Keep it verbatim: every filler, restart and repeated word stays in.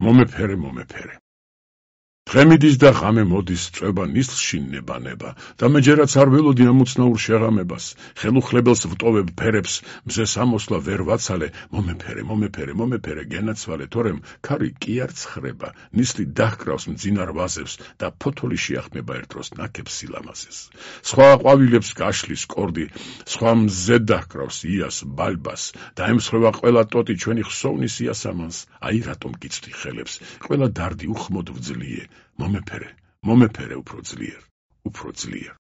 მომეფერე, მომეფერე. დღემიდის და ღამე მოდის წვება ნისლში ნება-ნება და მე ჯერაც არ ველოდი ამოცნაურ შეღამებას, ხელუხლებელს ვტოვებ ფერებს, მზე სამოსლა ვერ ვაცალე, მომეფერე, მომეფერე, მომეფერე, გენაცვალე, თორემ ქარი კი არ ცხრება, ნისლი დაჰკრავს მძინარ ვაზებს და ფოთოლი შეახმება ერთ დროს ნაკებს სილამაზეს. სხვა ყვავილებს გაშლის კორდი, სხვა მზე დაჰკრავს იას, ბალბას და ემსხვევა ყველა ტოტი ჩვენი ხსოვნის იასამანს, აი რატომ გიცდი ხელებს, ყველა დარდი უხმოდ ვძლიე, მომეფერე, მომეფერე უფრო ძლიერ, უფრო ძლიერ.